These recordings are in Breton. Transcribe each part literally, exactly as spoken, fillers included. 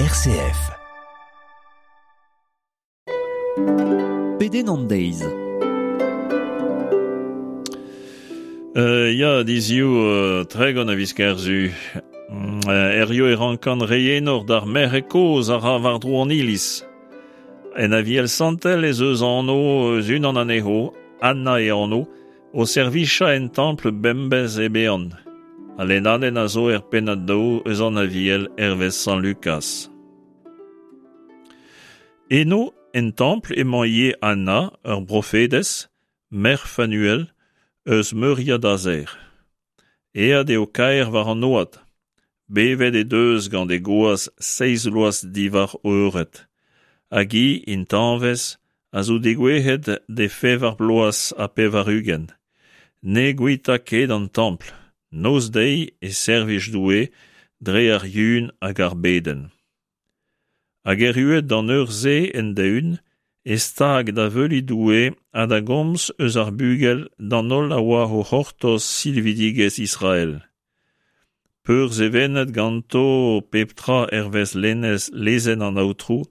R C F. Pedenn an deiz. Euh, ya, dizioù, euh, tregont a viz Kerzu. Euh, Herrio e rankan reienor d'ar merc'hed kozh a ra war-dro an iliz. En aviel santel ez eus anv eus unan anezho, Anna e anv, o servicha en templ bembez e bean. Al lennadenn a zo er pennad daou eus an aviel hervez Sant Lucas. Eno, en templ emañ ivez Anna, ur brofedez, merc'h Fanuel, eus meuriad Azer. Aet eo kaer war an oad. Bevet he deus gant e goaz seizh vloaz diwar eured. Hag hi, intañvez, a zo degouezhet d'he fevar bloaz ha pevar-ugent. Ne guita ket an templ. Noz-deiz e servij Doue dre ar yun hag ar bedenn. Hag erruet d'an eur-se end-eeun, e stag da veuliñ Doue ha da gomz eus ar bugel d'an holl a oa o c'hortoz silvidigezh Israel. Peursevenet ganto pep tra hervez lennez lezenn an Aotrou,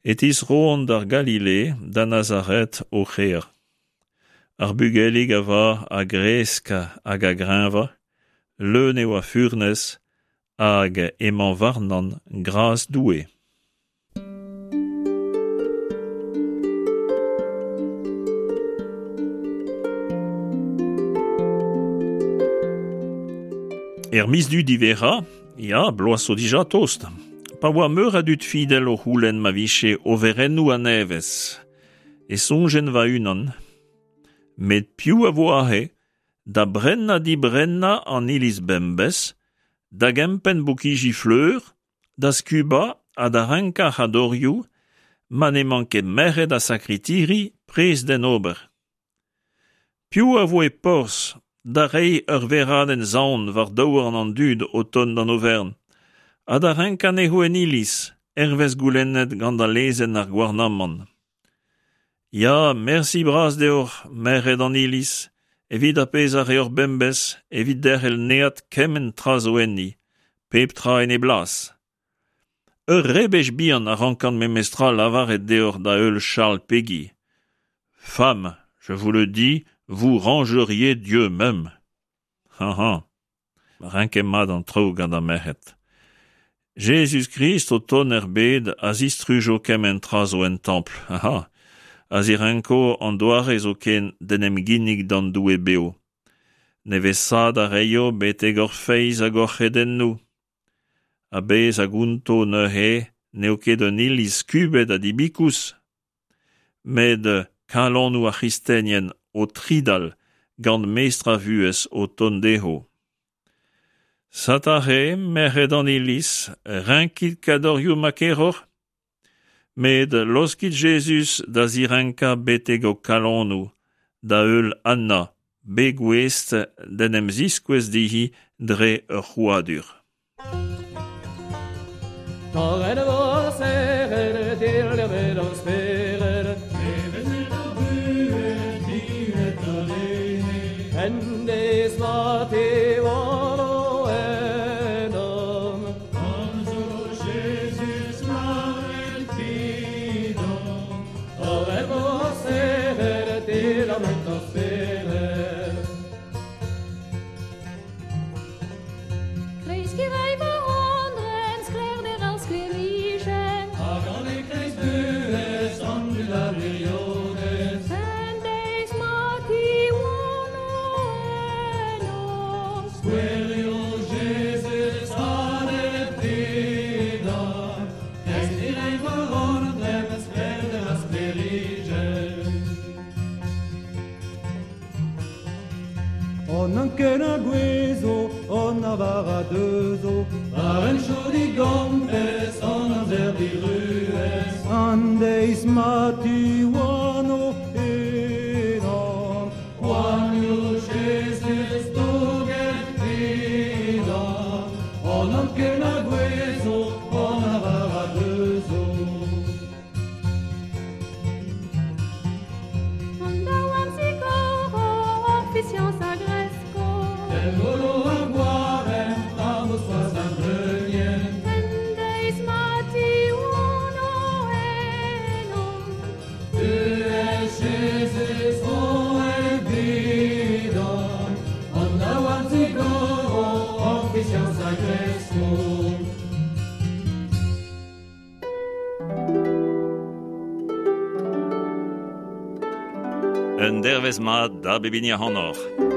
e tisroont d'ar Galile, da Nazaret o c'hêr. Ar bugelig a va a gresk hag a greñva, leun eo a furnez hag emañ warnan gras Doue. Er miz du divera, ya, bloaz zo dija tost. Pa oa meur a dud fidel o c'houlenn ma vije overennoù a-nevez. E soñjen va-unan. Met piv a vo aze da brennañ dibrennañ an iliz bembez, da gempenn bokiji fleur, da skubañ ha da renkañ c'hadorioù, ma n'emañ ket merc'hed ha sakritiri prest d'en ober. Piv a vo e porzh da reiñ ur veradenn saon war daouarn an dud o tont d'an overn, ha da renkañ anezho en iliz, hervez goulennet gant al lezenn ar gouarnamant. Ya, mersi bras deoc'h, merc'hed an iliz, evit ar pezh a reoc'h bembez, evit derc'hel neat kement tra zo enni, pep tra en e blas. Ur rebech bihan a rankan memestra lavaret deoc'h da heul Charles Péguy. Femme, je vous le dis, vous rangeriez Dieu même. Ha ha, renket mat an traoù gant ar merc'hed. Jezuz-Krist o tont er bed a zistrujo kement tra zo en templ. Ha ha, a zirenko an doare zo ken d'en em ginnig d'an Doue beo. Nevesaat a reio betek hor feiz hag hor c'hredennoù. A bez a gonto neuze n'eo ket un iliz skubet ha dibikous. Met kalonoù ar c'hristenien o tridal gant mestr a vuhez o tont dezho. Satare, merc'hed an iliz, renkit kadorioù ma keroc'h, met laoskit Jezuz da zirenkañ betek ho kalonoù, da heul Anna, bet gouest d'en em ziskouez dezhi dre ur c'hrouadur. Torret vo serret, dilvet o spered, En deiz ma tiwano enom. Komzo Jezuz laret vidon. Torret vo serret, dilvet o spered. Kreiz kirei war andren, sklaerder ar sklêrijenn. Hag an e kreiz buhez an dud a wirionez. En deiz ma tiwano enom. Skouerio Jezuz hadet vidon. Kreiz kirei war andren, sklaerder ar sklêrijenn. On anken a gouezo, on a var a deuzo. War en chod i gambez, an amzer diruez. An deiz ma tiwano enon. Poanioù Jezuz douget vidon. On anken a gouezo, on a var a deuzo. An daouarn zigoro, hor fiziañs a gresko. El golo ar gwarem, ar mospoaz ar bleunien. En deiz ma Un dervez mat da bep hini ac'hanoc'h.